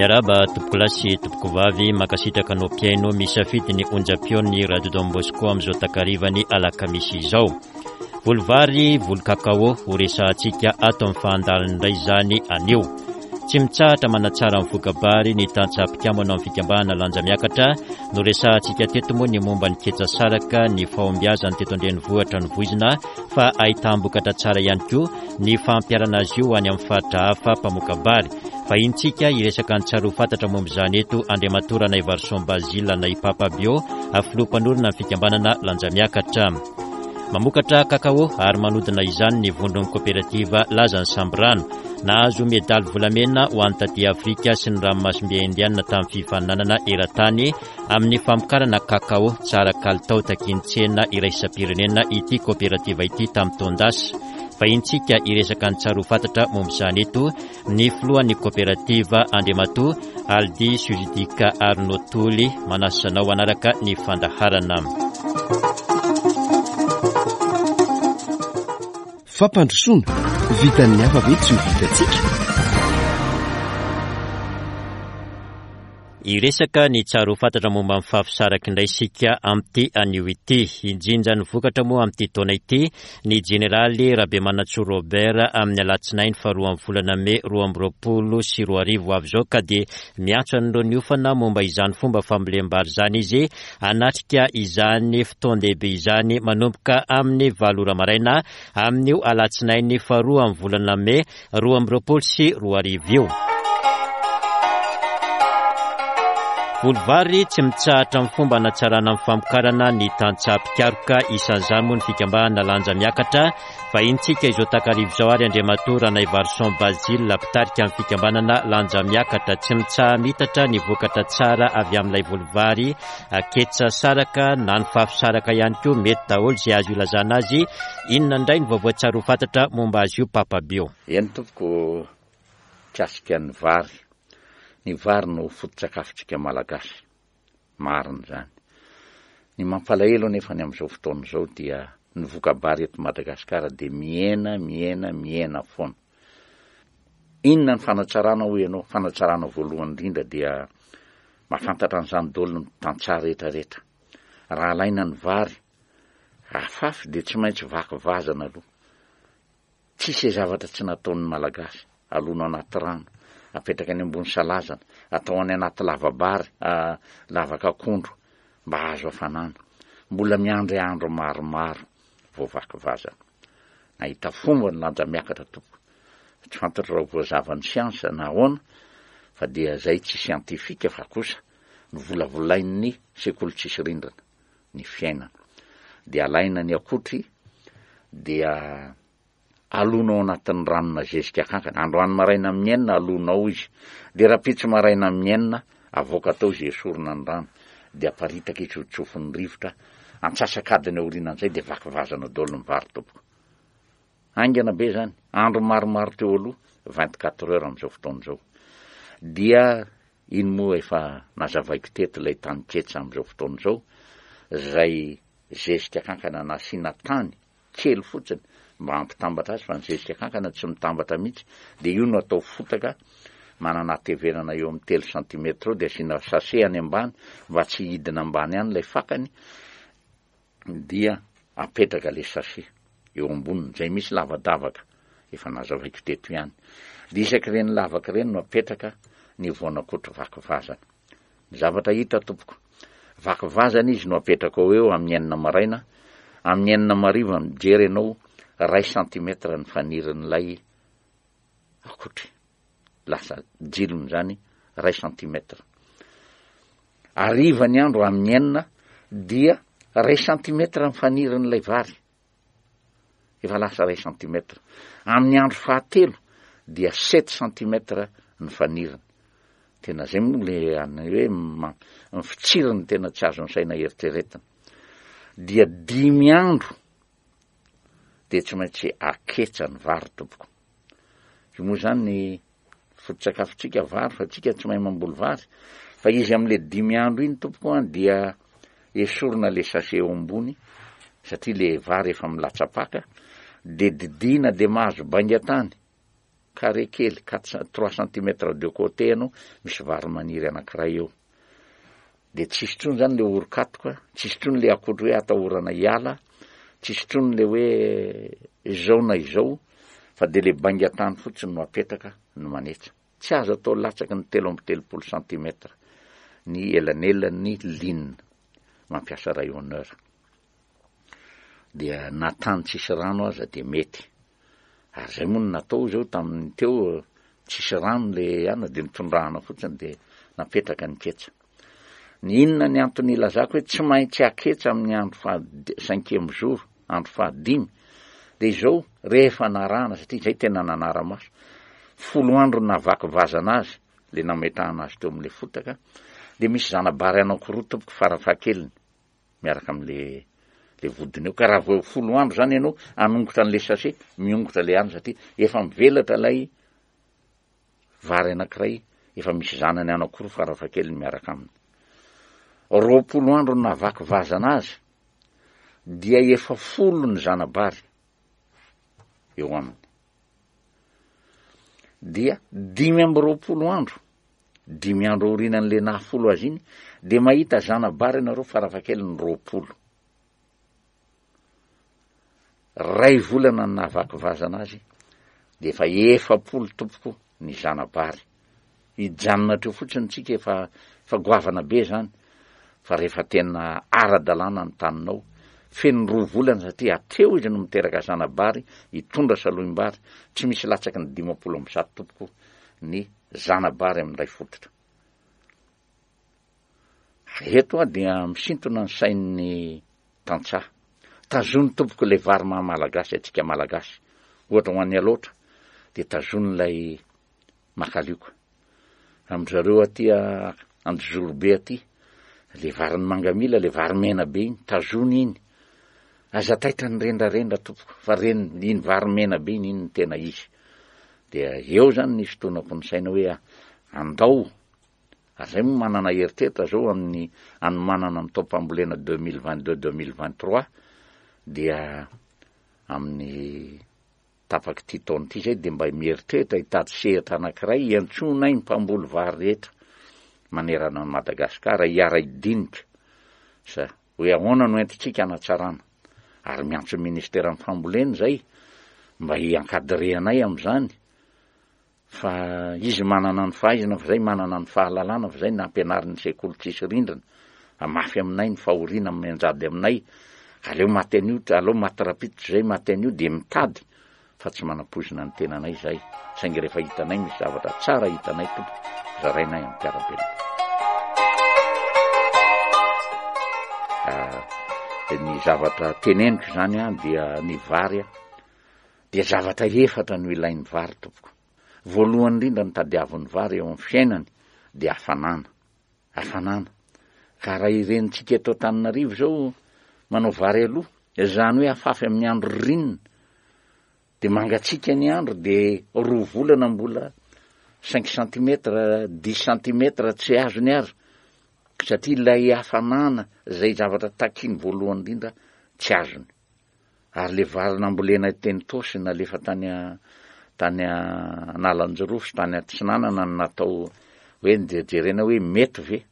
Miarahaba tompokolahy sy tompokovavy, mankasitraka anao mpihaino misafidy ny onjam-peon'ny Radio Don Bosco amin'izao takarivany alakamisy izao. Voly vary, voly kakao, ho resahantsika ato amin'ny fahandaliny indray izany anio. Tsy mitsahatra manatsara ny voka-bary ny tantsaha mpikambana ao amin'ny fikambanana Lanja Miakatra. Noresahantsika teto moa ny momba ny ketsa saraka, ny fahombiazany teto an-drenivohitra novoizina fa ahitam-bokatra tsara ihany koa ny fampiharana azy io any amin'ny faritra hafa mpamoka-bary. Vahintsika hiresaka ny tsara ho fantatra momba izany eto Andriamatoa Ranaivarison Basile na i Papa Bio, filoha mpanorina ny fikambanana Lanja Miakatra. Mamokatra kakao ary manodina izany ny vondron'ny koperativa Lazan'ny Sambirano. Nahazo medaly volamena ho an'ny taty Afrika sy ny ranomasimbe Indiana tamin'ny fifaninanana eran-tany amin'ny famokarana kakao tsara kalitao takian'ny tsena iraisam-pirenena ity koperativa ity tamin'ny taon-dasa. Vahintsika hiresaka ny tsara ho fantatra momba izany eto ny filohan'ny koperativa Andriamatoa Aldi Sujidika Arnaud Toly manasa anao hanaraka ny fandaharana. Fampandrosoana, vitan'ny hafa ve tsy ho vitantsika? Hiresaka ny tsara ho fantatra momba ny fafisaraka indray isika amin'ity anio ity. Hinjinja ny vokatra moa amin'ity taona ity ny jeneraly Rabemanantsoa Robert amin'ny alatsinainy faharoan'ny volana mey 2022 ho avy izao ka dia miantso an'ireo niofana momba izany fomba fambolem-bary izany izy hanatrika izany fotoan-dehibe izany manomboka amin'ny valo ora maraina amin'io alatsinainy faharoan'ny volana mey 2022 io. Voly vary tsy mitsahatra amin'ny fomba hanatsarana ny famokarana ny tantsaha mpikaroka, isan'izany moa ny fikambanana Lanja Miakatra. Vahinintsika izao takariva izao ary Andriamatoa Ranaivarison Basile, mpitarika ny fikambanana Lanja Miakatra. Tsy mitsaha-mitatra ny vokatra tsara avy amin'ilay voly vary ketsa saraka na ny fafy saraka ihany koa, mety daholo izay azo ilazana azy. Inona indray ny vaovao tsara ho fantatra momba azy io Papa Bio? Eny tompoko, mikasika ny vary. Ny vary no foto-tsakafontsika Malagasy. Marina izany. Ny mampalahelo anefa ny amin'izao fotoana izao dia ny voka-bary eto Madagasikara dia mihena, mihena, mihena foana. Inona ny fanatsarana hoy ianao? Fanatsarana voalohany indrindra dia mahafantatra an'izany daholo ny tantsaha rehetra rehetra. Raha alaina ny vary afafy dia tsy maintsy vaky vazana aloha. Tsisy zavatra tsy nataon'ny Malagasy, alona anaty rano, apetraka any ambony salazana, atao any anaty lava-bary, lavaka akondro mba hahazo hafanana. Mbola miandry andro maromaro vao vaky vazana. Nahita fomba ny lanja miakatra tompoko. Tsy fantatro raha ho voazavan'ny siansa na ahoana fa dia zay tsy siantifika fa kosa novolavolain'ny sekoly tsisy rindrina ny fiainana. Dia alaina ny akotry dia alona ao anatin'ny ranona zezika kankana. Androany maraina amin'ny enina alona ao izy. Dia rahampitso maraina amin'ny enina avoaka tao izy esorina ny rano. Dia aparitaka izy ho tsofin'ny rivotra. Antsasak'adiny aorianan'izay dia vaky vazana daholo ny vary tompoko. Haingana be izany. Andro maromaro teo aloha, 24 heures amin'izao fotoana izao. Dia iny moa efa nazavaiko teto ilay tany ketsa amin'izao fotoana izao, izay zezika kankana nasiana tany kely fotsiny mba hampitambatra azy fa ny zezika kankana tsy mitambatra mihitsy dia io no atao fotaka manana hatevenana eo amin'ny telo centimètre eo dia asiana sachet any ambany mba tsy hidina ambany any ilay fakany dia apetraka ilay sachet eo amboniny izay misy lavadavaka efa nazavaiko teto ihany dia isak'ireny lavaka ireny no apetraka ny voanakotry vaky vazana Ny zavatra hita tompoko, vaky vazana izy no apetrakao eo amin'ny enina maraina, amin'ny enina mariva mijery ianao ray centimètre ny fanirin'ilay akotry, lasa jilony izany ray centimètre. Hariva ny andro amin'ny enina dia ray centimètre ny fanirin'ilay vary. Efa lasa iray centimètre. Amin'ny andro fahatelo dia sept centimètre ny faniriny. Tena zay moa le any hoe ny fitsiriny tena tsy azon'ny saina eritreretina. Dia dimy andro dia tsy maintsy aketsa ny vary tompoko. Io moa zany ny Foto-tsakafontsika vary fa tsika tsy mahay mamboly vary fa izy amle dimy andro iny tompoko an dia esorina le sachet eo ambony satria le vary efa milatsa-paka de didiana de mahazo bainga tany. carré kely, quatre, trois centimètres de côté ianao, misy vary maniry anankiray eo. Dia tsisy intsony zany le oron-katoka, tsisy intsony le akondro hoe atahorana hiala, tsisy intsony le hoe izao na izao, fa dia le baingan-tany fotsiny no apetaka no manetsa. Tsy azo atao latsaky ny 33 centimètres ny elanelan'ny ligne mampiasa rayonneur. Dia na tany tsisy rano aza dia mety. Ary zay moa no natao izao tamin'ny teo, tsisy rano le ana dia nitondrahana fotsiny dia napetraka ny ketsa. Ny inona ny antony ilazako hoe tsy maintsy aketsa amin'ny andro faha cinquième jour, andro fahadimy, dia izao rehefa narahana satria izay tena nanara-maso, folo andro nahavaky vazana azy, le nametrahana azy teo amin'le fotaka, dia misy zana-bary anankiroa tompoko farafahakeliny. miaraka amle le vodiny eo ka raha vao folo andro zany ianao anongotra an'le sachet miongotra le any satria efa mivelatra ilay vary anankiray efa misy zanany anankiroa farafahakeliny miaraka aminy. 20 andro no nahavaky vazana azy dia efa folo ny zana-bary eo aminy. Dia 25 andro Dimy andro aorianan'le naha folo azy iny dia mahita zana-bary ianareo farafahakeliny 20. Ray volana ny nahavaky vazana azy dia efa 40 tompoko ny zana-bary. Hijanona hatreo fotsiny tsika efa efa goavana be zany fa rehefa tena ara-dalàna ny taninao, feno roa volana satria hatreo izy no miteraka zana-bary hitondra salohim-bary, tsy misy latsaky ny 150 tompoko ny zana-bary amin'ny iray fototra. Eto aho dia misintona ny sain'ny tantsaha. Tazony tompoko ilay vary maha malagasy antsika malagasy. Ohatra ho an'ny Alaotra dia tazony ilay makalioka. Amin-dry zareo aty Anjozorobe aty, ilay varin'ny mangamila, ilay vary mena be iny, tazony iny. Aza taitra ny rendrarendra tompoko fa reny iny vary mena be iny, iny no tena izy. Dia eo zany ny fitonako ny saina hoe andao, ary zay moa manana eritreritra zao amin'ny anomanana ny taom-pambolena 2022 2023 dia amin'ny tapak'ity taona ity zay dia mba mieritreritra hitady sehatra anankiray hiantsoanay ny mpamboly vary rehetra manerana an'i Madagasikara hiara-hidinika sa Hoe ahoana no entintsika hanatsarana? Ary miantso ny ministeran'ny fambolena izay mba hi-encadrer anay amin'izany fa izy manana ny fahaizana fa izay manana ny fahalalana fa izay nampianarin'ny sekoly tsisy rindrina fa mafy aminay ny fahoriana mianjady aminay aleo maty an'io aleo maty rapito izay maty an'io dia mitady fa tsy manampoizina ny tenanay izahay, saingy rehefa hitanay misy zavatra tsara hitanay tompoko, zarainay amin'ny mpiara-belona. Ah, ny zavatra teneniko izany an, dia ny vary an, dia zavatra efatra no ilain'ny vary tompoko. Voalohany indrindra ny tadiavin'ny vary eo amin'ny fiainany dia hafanana. Hafanana. Ka raha irenintsika eto Antananarivo izao manao vary aloha, izany hoe afafy amin'ny andro ririnina, dia mangatsiaka ny andro dia roa volana mbola cinq centimètres, dix centimètres tsy azony ary, satria ilay hafanana izay zavatra takiany voalohany indrindra tsy azony. Ary le vary nambolena teny Itaosy nalefa tany tany Analanjirofo sy tany Atsinanana no natao hoe jerena hoe mety ve?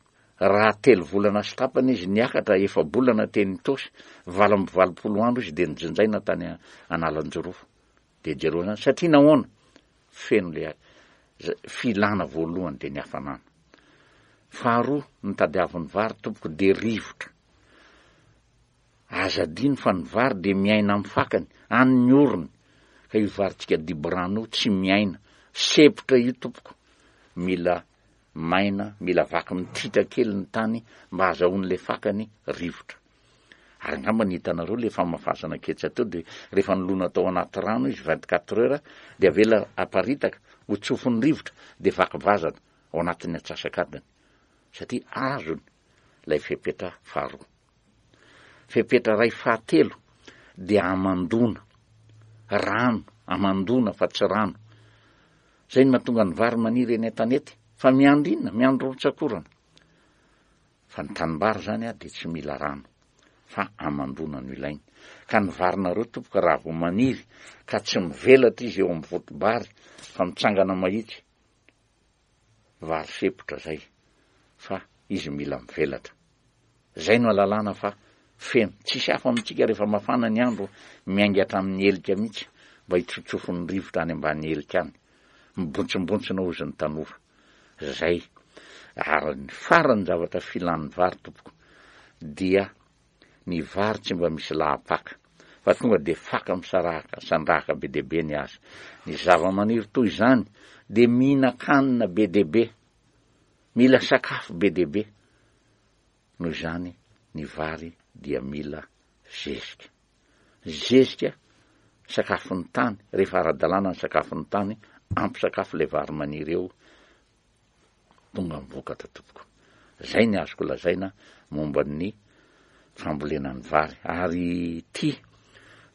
Raha telo volana sy tapany izy niakatra, efa-bolana teny Itaosy, 88 andro izy dia nojinjaina tany Analanjirofo. Dia jereo zany, satria nahoana? Feno le filana voalohany dia ny hafanana. Faharoa, ny tadiavin'ny vary tompoko dia rivotra. Aza adino fa ny vary dia miaina amin'ny fakany, any ny orony, ka io varintsika diborano io tsy miaina, sepotra io tompoko, mila maina, mila vaky mitritra kely ny tany mba hazahoan'ilay fakany rivotra. Ary angamba ny hitanareo le famafazana ketsa teo dia rehefa nilona tao anaty rano izy 24 heures dia avela aparitaka ho tsofin'ny rivotra dia vaky vazana ao anatin'ny atsasak'adiny satria azony ilay fepetra faharoa. Fepetra iray fahatelo dia hamandoana. Rano, hamandoana fa tsy rano. Izay no mahatonga ny vary maniry eny an-tanety. Fa miandry inona? Miandry rotsak'orana. Fa ny tanimbary izany dia tsy mila rano, fa hamandoana no ilainy. Ka ny varinareo tompoko raha vao maniry ka tsy mivelatra izy eo amin'ny voto-bary fa mitsangana mahitsy, vary sempotra zay fa izy mila mivelatra. Zay no alalana fa feno. Tsisy hafa amintsika rehefa mafana ny andro miainga hatramin'ny helika mihitsy mba hitsotsofon'ny rivotra any ambany helika any. Mibontsimbontsoina hozy ny tanora. Zay. Ary ny farany zavatra filan'ny vary tompoko dia ny vary tsy mba misy lahapaka fa tonga dia faka misaraka sandrahaka be dia be ny azy. Ny zava-maniry toy izany dia mihinan-kanina be dia be, mila sakafo be dia be. Noho izany ny vary dia mila zezika. Zezika, sakafon'ny tany, rehefa ara-dalàna ny sakafon'ny tany, ampy sakafo ilay vary maniry eo, tonga ny vokatra tompoko. Zay ny azoko lazaina momba ny fambolena ny vary. Ary ity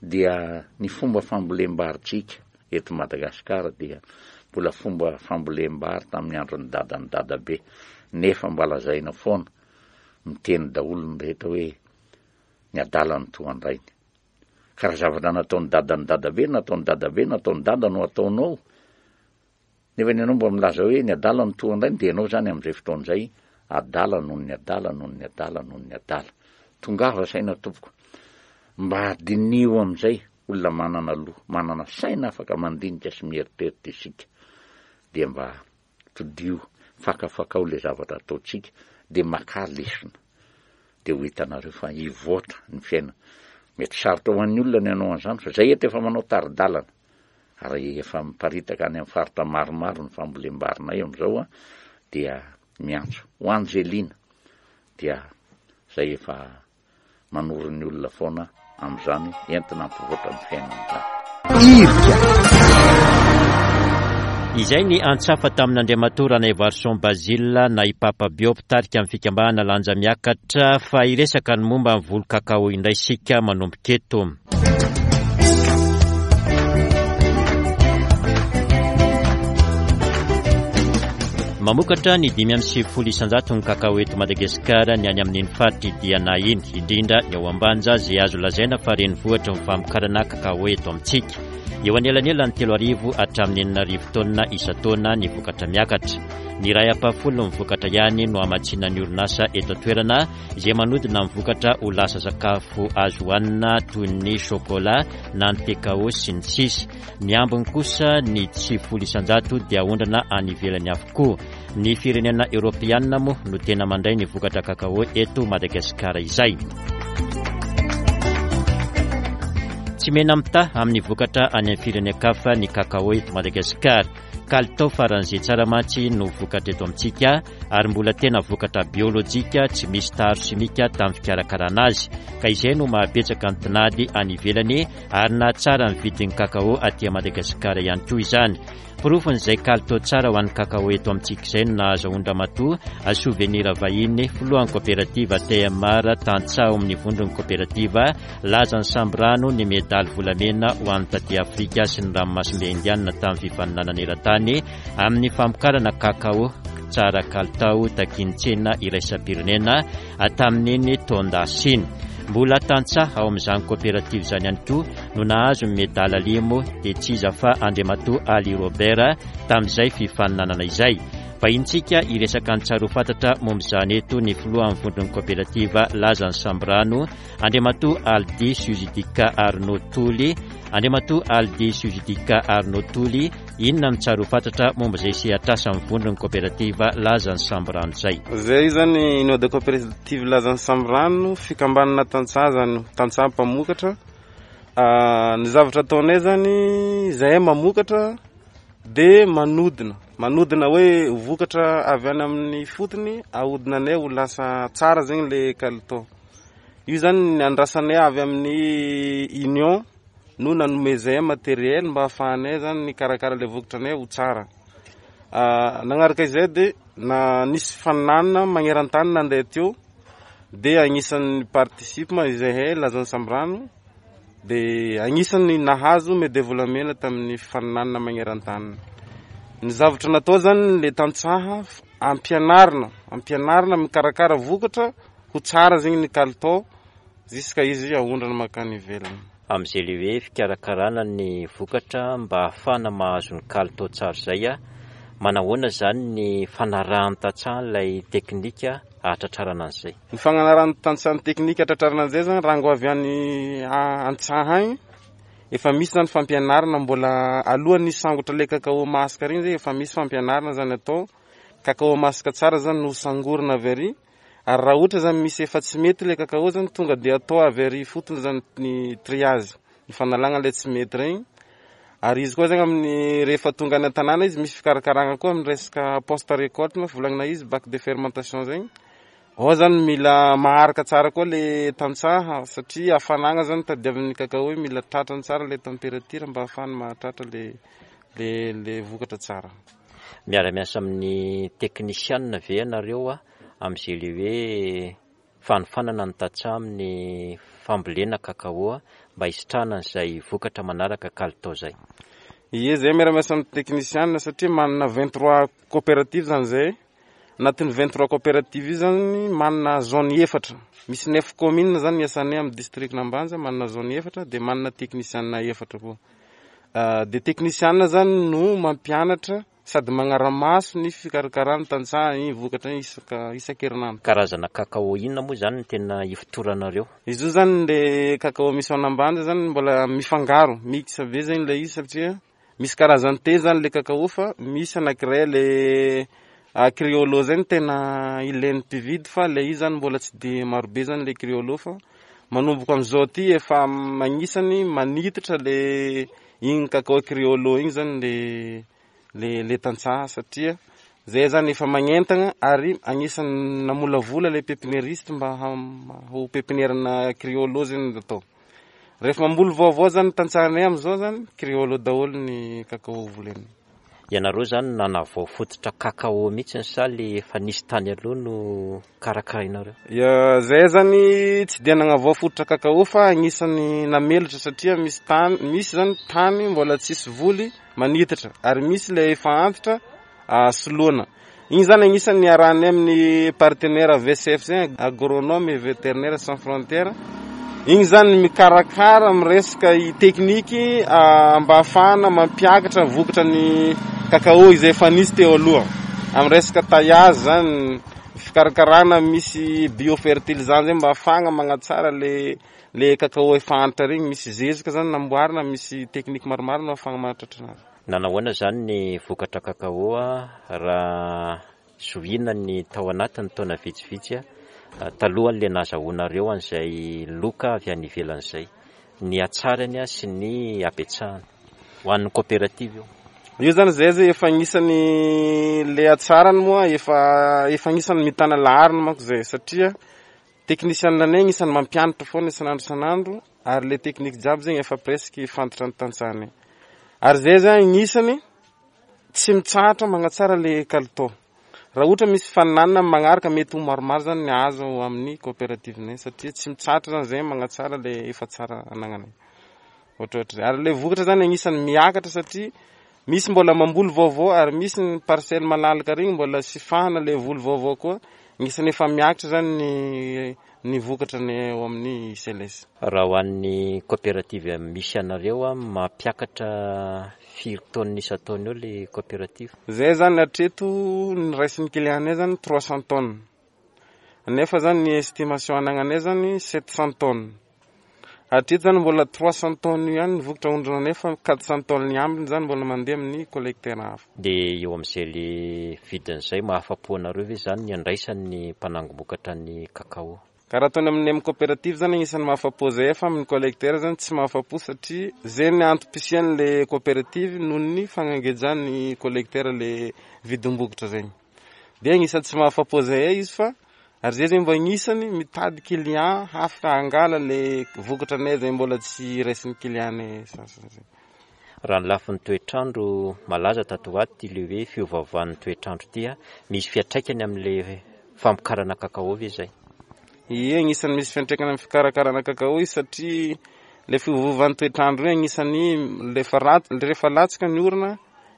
dia ny fomba fambolem-barintsika eto Madagasikara dia mbola fomba fambolem-bary tamin'ny andron'ny dadan'ny dadabe nefa mba lazaina foana, miteny daholo ny rehetra hoe ny adala no toa an-drainy. Ka raha zavatra nataon'ny dadan'ny dadabe, nataon'ny dadabe, nataon'ny dada no ataonao, Nefa ny ianao mba milaza hoe ny adala no toa an-drainy dia ianao izany amin'izay fotoana izay adala noho ny adala noho ny adala noho ny adala. Tongava saina tompoko. Mba diniho amin'izay olona manana loha, manana saina afaka mandinika sy mieritreritra isika. Dia mba todiho, fakafakao ilay zavatra ataontsika dia makà lesona. Dia ho hitanareo fa hivoatra ny fiainana. Mety sarotra ho an'ny olona ny hanao an'izany fa izay eto efa manao tari-dalana. Ary efa miparitaka any amin'ny faritra maromaro ny fambolem-barinay amin'izao dia miantso ho Angelina dia izay efa manoro ny olona foana amin'izany entina hampivoatra ny fiainana izany. Irika. Izay ny antsafa tamin'Andriamatoa Ranaivarison Basile na i Papa Bio mpitarika ny fikambanana Lanja Miakatra fa hiresaka ny momba ny voly kakao indray isika manomboka eto. Mamokatra ny 95 isan-jato ny kakao eto Madagasikara ny any amin'iny faritra Diana iny, indrindra ny ao Ambanja izay azo lazaina fa renivohitry ny famokarana kakao eto amintsika. Eo anelanelan'ny 3000 hatramin'ny 6000 taonina isan-taona ny vokatra miakatra. Ny iray ampahafolon'ny vokatra ihany no hamatsiana ny orinasa eto an-toerana izay manodina ny vokatra ho lasa sakafo azo hohanina toy ny chocolat na ny thé-cao sy ny sisa. Ny ambiny kosa, ny 90% dia aondrana any ivelany avokoa. Ny firenena eoropeanina moa no tena mandray ny vokatra cacao eto Madagasikara izay. Tsy mena-mitaha amin'ny vokatra any amin'ny firenen-kafa ny cacao eto Madagasikara. Kalitao faran'izay tsara mantsy no vokatra eto amintsika ary mbola tena vokatra biolojika tsy misy taharo simika tamin'ny fikarakarana azy ka izay no mahabetsaka ny tinady any ivelany ary nahatsara ny vidin'ny kakao aty Madagasikara ihany koa izany. Porofon'izay kalitao tsara ho an'ny kakao eto amintsika izay no nahazahoan-dRamatoa Souvenir Vahiny, filohan'ny koperativa TMR tantsaha ao amin'ny vondron'ny koperativa Lazan'ny Sambirano ny medaly volamena ho an'ny taty Afrika sy ny ranomasimbe Indianina tamin'ny fifaninanana eran-tany amin'ny famokarana kakao tsara kalitao takian'ny tsena iraisam-pirenena tamin'iny taon-dasa iny. Mbola tantsaha ao amin'izany koperativa izany ihany koa no nahazo ny medaly alimo dia tsy iza fa Andriamatoa Ali Robert tamin'izay fifaninanana izay. Vahintsika hiresaka ny tsara ho fantatra momba izany eto ny filohan'ny vondron'ny koperativa Lazan'ny Sambirano Andriamatoa Aldi Suzidika Arnaud Toly Andriamatoa Aldi Suzidika Arnaud Toly Inona no tsara ho fantatra momba izay sehatr'asan'ny vondron'ny koperativa Lazan'ny Sambirano izay? Izay izany Union de Coopérative Lazan'ny Sambirano, fikambanana tantsaha izany, tantsaha mpamokatra. Ny zavatra ataonay izany, izahay mamokatra dia manodina, manodina hoe vokatra avy any amin'ny fotony ahodinanay ho lasa tsara zegny le kalitao. Io izany ny andrasanay avy amin'ny Union. no nanomezay matériel mba ahafahanay zany nikarakara ilay vokatranay ho tsara. Nagnaraka izay dia na nisy faninanana magneran-tany nandeha teo dia agnisan'ny participe izahay Lazan'ny Sambirano dia agnisan'ny nahazo medaille volamena tamin'ny faninanana magneran-tany. Ny zavatra natao zany le tantsaha ampianarina, ampianarina mikarakara vokatra ho tsara zegny ny kalitao. Jusqu'à izy aondrana mankany ivelany. Amin'izay le hoe fikarakarana ny vokatra mba hahafahana mahazo ny kalitao tsara izay, manahoana izany ny fanarahan'ny tantsaha ilay teknika hahatratrarana an'izay? Ny fanarahan'ny tantsaha ny teknika hahatratrarana an'izay zany, rango avy any an-tsaha agny, efa misy zany fampianarana mbola alohan'ny hisangotra ilay cacao masaka regny zay efa misy fampianarana zany atao, cacao masaka tsara zany no sangorina avy ary. Ary raha ohatra zany misy efa tsy mety ilay cacao zany tonga dia atao avy ary ifotony zany ny triage, ny fanalagna ilay tsy mety regny. Ary izy koa zany amin'ny rehefa tonga any an-tanàna izy misy fikarakaragna koa amin'ny resaka post récolte moa volagnina izy bac de fermentation zegny. Ao zany mila maharaka tsara koa le tantsaha satria hafanagna zany tadiavin'ny cacao io mila tratrany tsara le température mba ahafahany mahatratra le le le vokatra tsara. Miara-miasa amin'ny teknisianina ve ianareo amin'izay le hoe fanofanana ny tantsaha amin'ny fambolena cacao mba hisitrahana an'izay vokatra manaraka kalitao izay? Ie, zay miara-miasa amin'ny teknisianina satria manana 23 coopérative zany zay. Anatin'ny 23 coopérative io zany manana zone efatra. Misy neuf communes zany iasanay amin'ny district-n'Ambanja, manana zone efatra dia manana teknisianina efatra koa. Dia teknisianina zany no mampianatra sady magnara-maso ny fikarakaran'ny tantsaha iny vokatra iny isaka isan-kerinandro. Karazana cacao inona moa izany no tena ifotoranareo? Izy io zany le cacao misy ao an'Ambanja zany mbola mifangaro, mix be zany ilay izy satria misy karazany telo zany le cacao fa misy anankiray le criollo zay no tena ilain'ny mpividy fa le izy zany mbola tsy de marobe zany le criollo fa manomboka amin'izao ty efa agnisany manitatra le igny cacao criollo igny zany le le le tantsaha satria zay zany efa magnentagna ary agnisan'ny namolavola le pépiniériste mba ho pépinière-na criollo zany atao. Rehefa mamboly vaovao zany tantsahanay amin'izao zany criollo daholo ny cacao volena. Ianareo zany nanavao fototra cacao mihitsy sa le efa nisy tany aloha no karakarainareo? Ya, zay zany tsy dia nagnavao fototra cacao fa agnisan'ny namelatra satria misy tany, misy zany tany mbola tsisy voly manitatra ary misy le efa antitra soloana. Igny zany agnisan'ny niarahanay amin'ny partenaire VCF zay, agronome et vétérinaire sans frontières. Igny zany mikarakara amin'ny resaka tekniky mba ahafahana mampiakatra vokatra ny cacao izay efa nisy teo aloha. Amin'ny resaka taillage zany, fikarakarana misy biofertilisant zay mba ahafahana magnatsara le le cacao efa antitra regny, misy zezika zany namboarina, misy tekniky maromaro no ahafahana mahatratra anazy. Nanahoana izany ny vokatra cacao raha zohiana ny tao anatin'ny taona vitsivitsy talohan'ilay nahazahoanareo an'izay loka avy any ivelany izay, ny hatsarany sy ny habetsahany ho an'ny coopérative io? Io zany zay zay efa agnisan'ny le hatsarany moa efa efa agnisan'ny mitana laharana manko zay satria technicien anay agnisan'ny mampianatra foana isan'andro isan'andro ary le technique jiaby zegny efa presque fantatra ny tantsahanay ary zay zany agnisan'ny tsy mitsahatra magnatsara le kalitao. Raha ohatra misy faninanana amin'ny magnaraka mety ho maromaro zany ny azo amin'ny coopérative-nay satria tsy mitsahatra zany zay magnatsara le efa tsara anagnanay. Ohatrohatry zay. Ary le vokatra zany agnisan'ny miakatra satria misy mbola mamboly vaovao ary misy ny parcelle malalaka regny mbola sifahana le voly vaovao koa. Agnisan'ny efa miakatra zany ny ny vokatra ny ao amin'ny CLS. Raha ho an'ny coopérative misy anareo, mampiakatra firy tonnes isan-taona eo le coopérative? Zay zany hatreto ny raisin'ny client-nay zany 300 tonnes. Nefa zany ny estimation anagnanay zany 700 tonnes. Hatreto zany mbola 300 tonnes io ihany ny vokatra aondronanay fa 400 tonnes ny ambiny zany mbola mandeha amin'ny collecteur hafa. Dia eo amin'izay le vidiny izay mahafa-po anareo ve zany ny andraisan'ny mpanangom-bokatra ny cacao? Ka raha ataony amin'ny amin'ny coopérative zany agnisan'ny mahafa-po zay fa amin'ny collecteur zany tsy mahafa-po satria zay ny antom-pisian'le coopérative noho ny fagnangejan'ny collecteur le vidim-bokatra zegny. Dia agnisan'ny tsy mahafa-po zay izy fa ary zay zegny mba agnisan'ny mitady client hafaka hangala le vokatra anay zay mbola tsy raisin'ny client-nay sasany zay. Raha ny lafiny toetr'andro, malaza tato ho ato ity le hoe fiovaovan'ny toetr'andro ity, misy fiantraikany amin'ilay famokarana cacao ve izay? Ie, agnisan'ny misy fiantraikany amin'ny fikarakarana cacao izy satria le fiovaovan'ny toetr'andro io agnisan'ny rehefa ratsy, rehefa latsaka ny orana,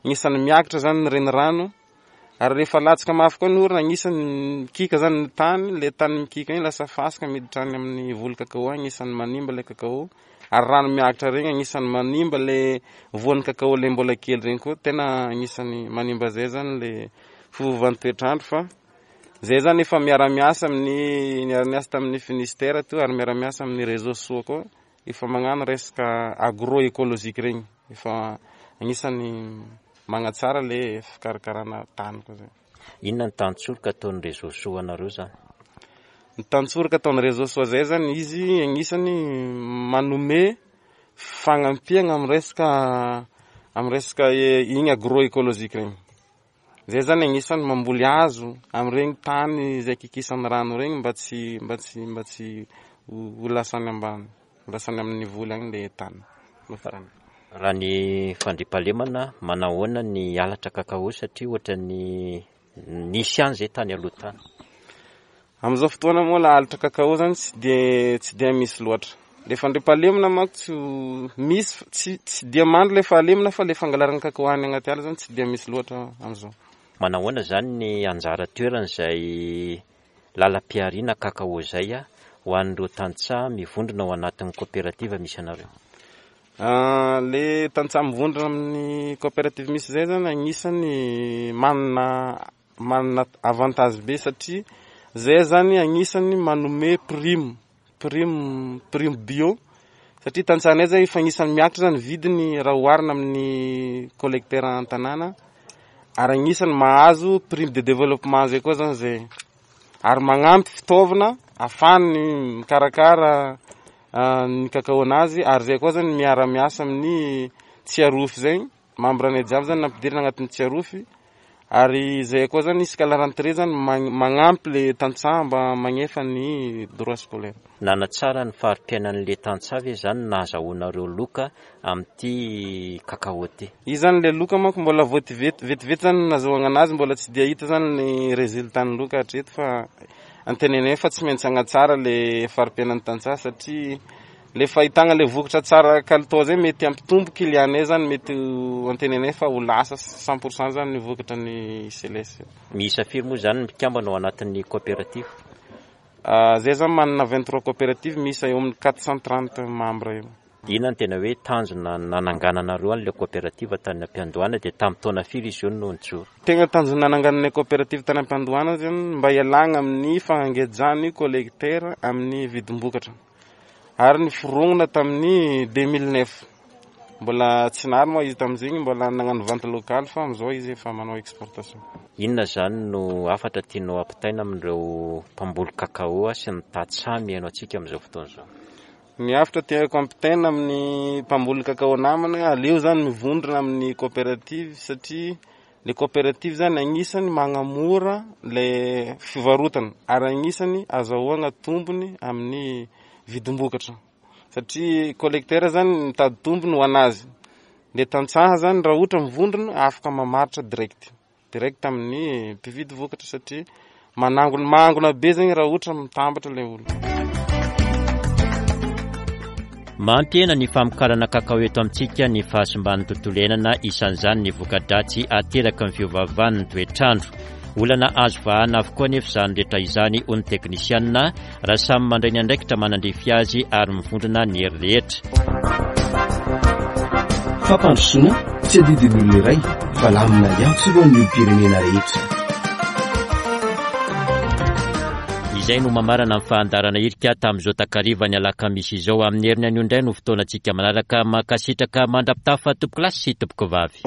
agnisan'ny miakatra zany ny renirano. Ary rehefa latsaka mafy koa ny orana, agnisan'ny mikika zany ny tany, le tany mikika igny lasa fasika miditra any amin'ny voly cacao agny, agnisan'ny manimba le cacao. Ary rano miakatra regny agnisan'ny manimba le voan'ny cacao le mbola kely regny koa, tena agnisan'ny manimba zay zany le fiovaovan'ny toetr'andro fa zay zany efa miara-miasa amin'ny, niara-niasa tamin'ny Finistère teo ary miara-miasa amin'ny réseau soa koa, efa magnano resaka agro-écologique regny, efa agnisan'ny magnatsara le fikarakarana tany koa zay. Inona ny tantsoroka ataon'ny réseau soa anareo zany? Ny tantsoroka ataon'ny réseau soa zay zany, izy agnisan'ny manome fagnampiagna amin'ny resaka amin'ny resaka igny agro-écologique regny. Zay zany agnisan'ny mamboly hazo amin'regny tany izay kikisan'ny rano regny mba tsy mba tsy mba tsy ho lasa any ambany, ho lasa any amin'ny voly agny le tany. Raha ny fandriampahalemana, manahoana ny halatra cacao satria ohatran'ny nisy ihany izay tany aloha tany? Amin'izao fotoana moa la halatra cacao zany tsy dia tsy dia misy loatra. Le fandriampahalemana manko tsy misy tsy tsy dia mandry le fahalemana fa le fangalarana cacao any agnaty ala zany tsy dia misy loatra amin'izao. Manahoana izany ny anjara toeran'izay lalam-pihariana cacao izay ho an'ireo tantsaha mivondrona ao anatin'ny koperativa misy anareo? Le tantsaha mivondrona amin'ny koperativa misy izay zany agnisan'ny manana manana avantage be satria zay zany agnisan'ny manome prime, prime, prime bio satria tantsahanay zay efa agnisan'ny miakatra zany vidiny raha oharina amin'ny collecteur an-tanàna ary agnisan'ny mahazo prime de développement zay koa zany zay ary magnampy fitaovana ahafahany mikarakara ny cacao-nazy ary zay koa zany miara-miasa amin'ny Tsiarofy zay. Membre anay jiaby zany nampidirina agnatin'ny Tsiarofy ary zay koa zany isaka la rentrée zany magnampy le tantsaha mba magnefa ny droit scolaire. Nanatsara ny fari-piainan'le tantsaha ve zany ny nahazahoanareo loka amin'ity cacao ty? Izy zany le loka manko mbola vao vetivety zany no nazahoagna anazy mbola tsy dia hita zany ny résultat ny loka hatreto fa antenainay fa tsy maintsy hagnatsara le fari-piainan'ny tantsaha satria Le fahitagna le vokatra tsara kalitao zay mety hampitombo client-nay zany mety ho antenainay fa ho lasa 100% zany ny vokatra ny CLS. Miisa firy moa zany ny mpikambana ao anatin'ny coopérative? Zay zany manana 23 coopérative miisa eo amin'ny 430 membres eo. Inona no tena hoe tanjona nanangananareo an'ilay coopérative tany am-piandohana dia tamin'ny taona firy izy io no nijoro? Tegna tanjona nanangananay coopérative tany am-piandohana zany mba hialagna amin'ny fangejan'ny collecteur amin'ny vidim-bokatra. ary niforongona tamin'ny 2009. Mbola tsy nary moa izy tamin'izigny, mbola nagnano vente locale fa amin'izao izy efa manao exportation. Inona izany no hafatra tianao ampitaina amin'ireo mpamboly cacao sy ny tantsaha mihaino antsika amin'izao fotoana izao? Ny hafatra tiako ampitaina amin'ny mpamboly cacao namana, aleo zany mivondrona amin'ny coopérative satria Le coopérative zany agnisany magnamora le fivarotana ary agnisany azahoagna tombony amin'ny vidim-bokatra satria collecteur zany mitady tombony ho anazy, le tantsaha zany raha ohatra mivondrona afaka mamaritra direct, direct amin'ny mpividy vokatra satria Manangona mangona be zegny raha ohatra mitambatra ilay olona. Mampihena ny famokarana kakao eto amintsika ny fahasimban'ny tontolo iainana, isan'izany ny voka-dratsy ateraky ny fiovaovan'ny toetr'andro. Olana azo vahana avokoa anefa izany rehetra izany, hoy ny teknisianina, raha samy mandray ny andraikitra manandrify azy ary mivondrona ny hery rehetra. Fampandrosoana tsy adidin'ny olona iray fa lamina iantsorohan'ny olom-pirenena rehetra. Izay no mamarana ny fahandarana irika tamin'izao takariva ny alakamisy izao. Amin'ny heriny anio indray no fotoanantsika manaraka. Mankasitraka mandra-pitafa tompokolahy sy tompokovavy.